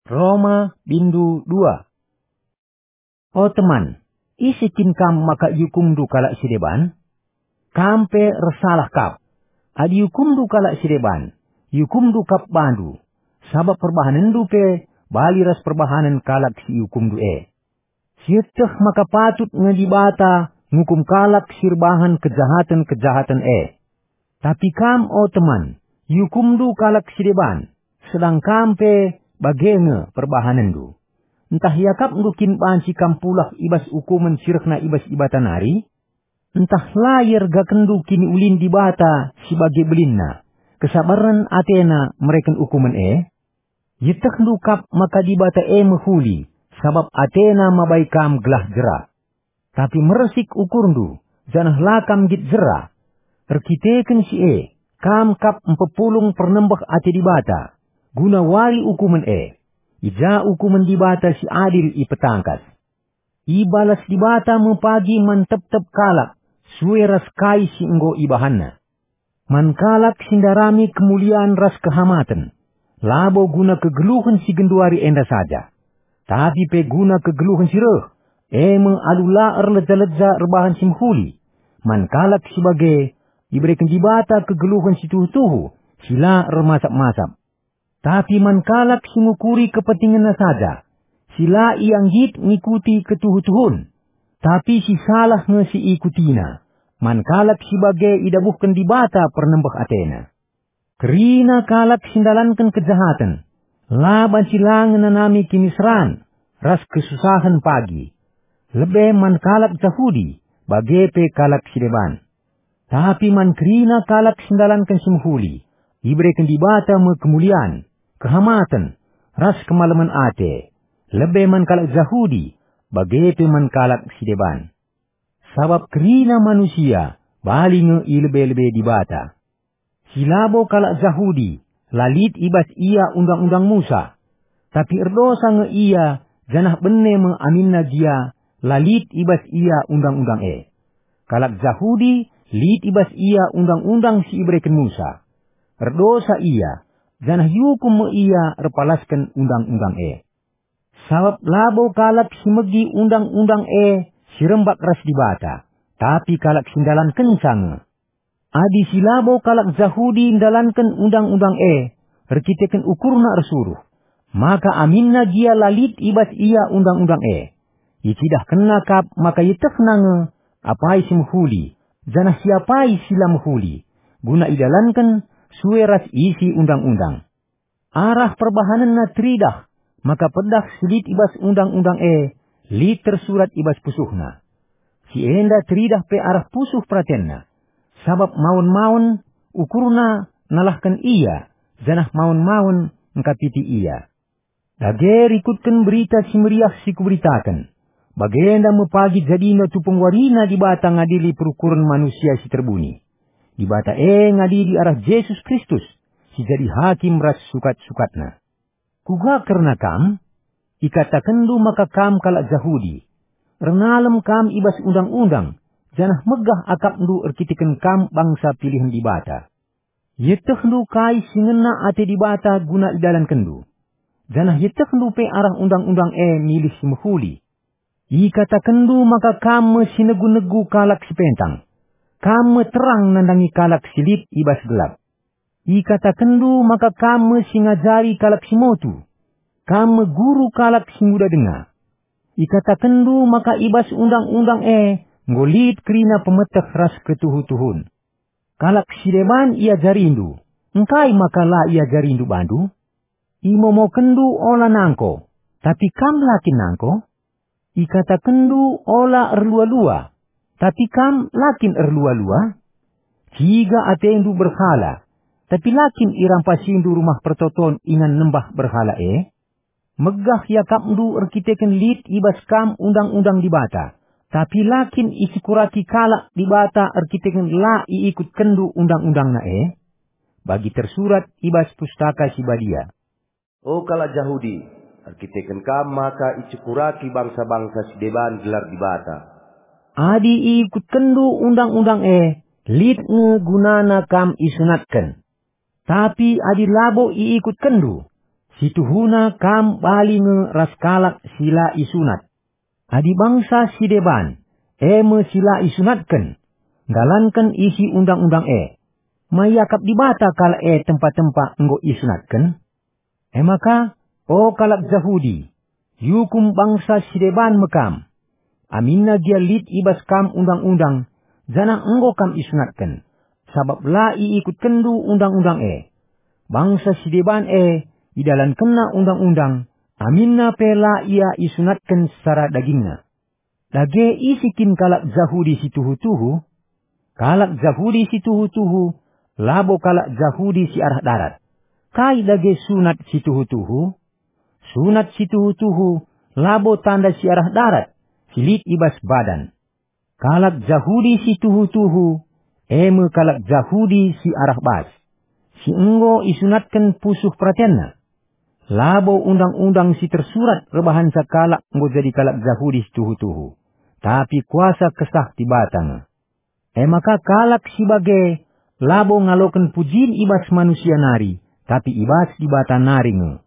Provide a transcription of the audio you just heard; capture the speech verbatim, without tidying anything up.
Roma bindu dua. O teman, ise kin kam maka iukumndu kalak si deban? Kam pe ersalah kap. Adi iukumndu kalak si deban, iukumndu kap bandu, sabap perbahanenndu pe bali ras perbahanen kalak si iukumndu e. Sieteh maka patut nge Dibata ngukum kalak si erbahan kejahaten-kejahaten e. Tapi kam, o teman, iukumndu kalak si deban, sedang kam pe bage nge perbahanenndu. Ntah iakapndu kin banci kam pulah i bas ukumen si rehna i bas Dibata nari? Ntah la iergakenndu kiniulin Dibata si bage belinna, kesabaren atena mereken ukumen e? Ietehndu kap maka Dibata e mehuli, sabap atena mabai kam gelah jera. Tapi mersik ukurndu, janah la kam nggit jera. Erkiteken si e, kam kap mpepulung pernembeh ate Dibata, guna wari ukumen e. I ja ukumen Dibata si adil ipetangkas. Ibalas Dibata me pagi man tep-tep kalak, sue ras kai si enggo ibahanna. Man kalak si ndarami kemulian ras kehamaten, labo guna kegeluhen si genduari enda saja, tapi pe guna kegeluhen si reh, e me alu la erleja-leja erbahan si mehuli. Man kalak si bage, ibereken Dibata kegeluhen si tuhu-tuhu, si la ermasap-masap. Tapi man kalak si ngukuri kepentingenna saja, si la ia nggit ngikuti ketuhu-tuhun, tapi si salah nge si ikutina, man kalak si bage idabuhken Dibata pernembeh atena. Kerina kalak si ndalanken kejahaten, la banci la ngenanami kiniseran ras kesusahen pagi, lebe man kalak Jahudi, bage pe kalak si deban. Tapi man kerina kalak si ndalanken si mehuli, ibereken Dibata me kemulian, kehamaten, ras kemalemen ate, lebe man kalak Jahudi, bage pe man kalak si deban. Sabap kerina manusia bali nge i lebe-lebe Dibata. Si labo kalak Jahudi la lit i bas ia Undang-undang Musa, tapi erdosa nge ia, janah bene me aminna gia la lit i bas ia Undang-undang e. Kalak Jahudi lit i bas ia Undang-undang si ibereken Musa. Erdosa ia, janah iukum me ia erpalasken Undang-undang e. Sabap labo kalak si megi Undang-undang e si rembak ras Dibata, tapi kalak si ndalankenca nge. Adi si labo kalak Jahudi ndalanken Undang-undang e erkiteken ukurna ersuruh, maka aminna gia la lit i bas ia Undang-undang e. Icidahkenna kap maka ietehna nge apai si mehuli, janah si apai si la mehuli, guna idalanken sue ras isi Undang-undang. Arah perbahanenna teridah maka pedah si lit i bas Undang-undang e lit tersurat i bas pusuhna. Si enda teridah pe arah pusuh peratenna, sabap maun-maun ukurna nalahken ia, janah maun-maun ngkapiti ia. Dage rikutken Berita Si Meriah si kuberitaken, bagenda me pagi jadina tupung warina Dibata ngadili perukuren manusia si terbuni. Dibata e ngadili arah Jesus Kristus, si jadi hakim ras sukat-sukatna. Kuga kerna kam? Ikatakenndu maka kam kalak Jahudi. Ernalem kam i bas Undang-undang, janah megah akapndu erkiteken kam bangsa pilihen Dibata. Ietehndu kai si ngena ate Dibata guna idalankenndu, janah ietehndu pe arah Undang-undang e milih si mehuli. Ikatakenndu maka kam me si negu-negu kalak si pentang, kam me terang nandangi kalak si lit i bas gelap. Ikatakenndu maka kam me si ngajari kalak si motu, kam me guru kalak si nguda denga. Ikatakenndu maka i bas Undang-undang e enggo lit kerina pemeteh ras ketuhu-tuhun. Kalak si deban iajarindu, engkai maka la iajarindu bandu? Imomokenndu ola nangko, tapi kam la kin nangko? Ikatakenndu ola erlua-lua, tapi kam la kin erlua-lua? Ciga atendu berhala, tapi la kin irampasindu rumah pertoton ingan nembah berhala e? Megah iakapndu erkiteken lit i bas kam Undang-undang Dibata, tapi la kin icekuraki kalak Dibata erkiteken la iikutkenndu Undang-undangNa e? Bagi tersurat i bas Pustaka Si Badia, "O kalak Jahudi, erkiteken kam maka icekuraki bangsa-bangsa si deban gelar Dibata." Adi iikutkenndu Undang-undang e, lit nge gunana kam isunatken. Tapi adi labo iikutkenndu, Situhuna kam bali nge ras kalak si la isunat. Adi bangsa si deban, e me si la isunatken, nggalanken isi undang-undang e, ma iakap Dibata kalak e tempa-tempa enggo isunatken? E maka, o kalak Jahudi, iukum bangsa si deban me kam, aminna gia lit i bas kam undang-undang, janah enggo kam isunatken, sabap la iikutkenndu undang-undang e. Bangsa si deban e idalankenna undang-undang, aminna pe la ia isunatken secara dagingna. Dage ise kin kalak Jahudi si tuhu-tuhu? Kalak Jahudi si tuhu-tuhu labo kalak Jahudi si arah darat. Kai dage sunat si tuhu-tuhu? Sunat si tuhu-tuhu labo tanda si arah darat, si lit i bas badan. Kalak Jahudi si tuhu-tuhu, e me kalak Jahudi si arah bas, si enggo isunatken pusuh peratenna. Labo undang-undang si tersurat erbahanca kalak enggo jadi kalak Jahudi si tuhu-tuhu, tapi kuasa Kesah Dibata nge. E maka kalak si bage labo ngaloken pujin i bas manusia nari, tapi i bas Dibata nari nge.